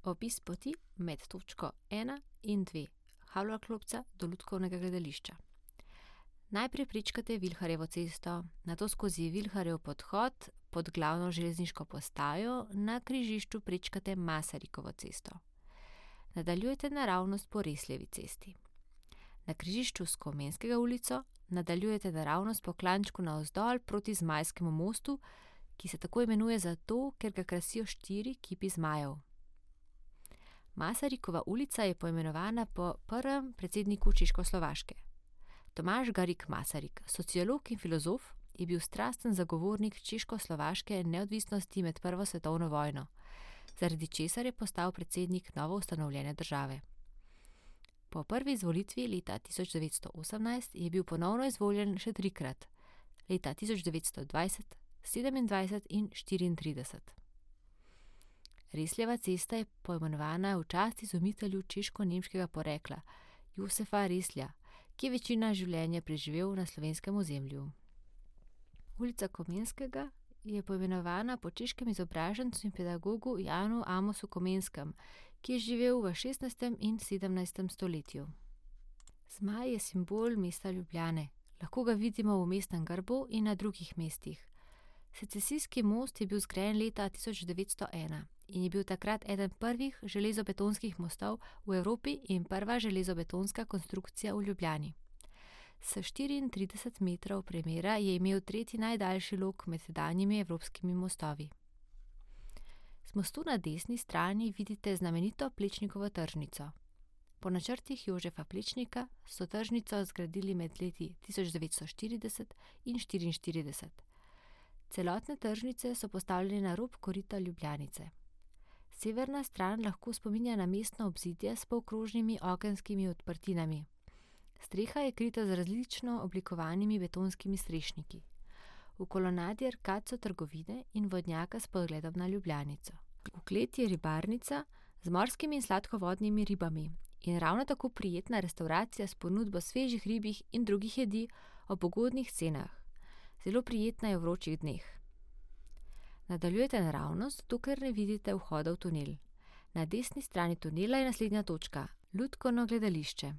Opis poti med točko 1 in 2 Havlova klopca do Lutkovnega gledališča. Najprej prečkate Vilharjevo cesto, nato skozi Vilharjev podhod pod glavno železniško postajo, na križišču prečkate Masarikovo cesto. Nadaljujete naravnost po Resljevi cesti. Na križišču s Komenskega ulico nadaljujete naravnost po klančku navzdol proti Zmajskemu mostu, ki se tako imenuje zato, ker ga krasijo 4 kipi zmajev. Masarikova ulica je poimenovana po prvem predsedniku Češkoslovaške. Tomaž Garrigue Masaryk, sociolog in filozof, je bil strasten zagovornik češkoslovaške neodvisnosti med prvo svetovno vojno, zaradi česar je postal predsednik novoustanovljene države. Po prvi izvolitvi leta 1918 je bil ponovno izvoljen še 3-krat, leta 1920, 27 in 34. Resljeva cesta je poimenovana v čast izumitelju češko-nemškega porekla Josefa Reslja, ki je večino življenja preživel na slovenskem ozemlju. Ulica Komenskega je poimenovana po češkem izobražencu in pedagogu Janu Amosu Komenskem, ki je živel v 16. in 17. stoletju. Zmaj je simbol mesta Ljubljane. Lahko ga vidimo v mestnem grbu in na drugih mestih. Secesijski most je bil zgrajen leta 1901 in je bil takrat eden prvih železobetonskih mostov v Evropi in prva železobetonska konstrukcija v Ljubljani. S 34 metrov premera je imel tretji najdaljši lok med sedanjimi evropskimi mostovi. Z mostu na desni strani vidite znamenito Plečnikovo tržnico. Po načrtih Jožefa Plečnika so tržnico zgradili med leti 1940 in 1944. Celotne tržnice so postavljene na rob korita Ljubljanice. Severna stran lahko spominja na mestno obzidje s polkrožnimi okenskimi odprtinami. Streha je krita z različno oblikovanimi betonskimi strešniki. V kolonadi arkad so trgovine in vodnjaka s pogledom na Ljubljanico. V kleti je ribarnica z morskimi in sladkovodnimi ribami in ravno tako prijetna restavracija s ponudbo svežih ribjih in drugih jedi ob ugodnih cenah. Zelo prijetna je v vročih dneh. Nadaljujete naravnost, dokler ne vidite vhoda v tunel. Na desni strani tunela je naslednja točka, Lutkovno gledališče.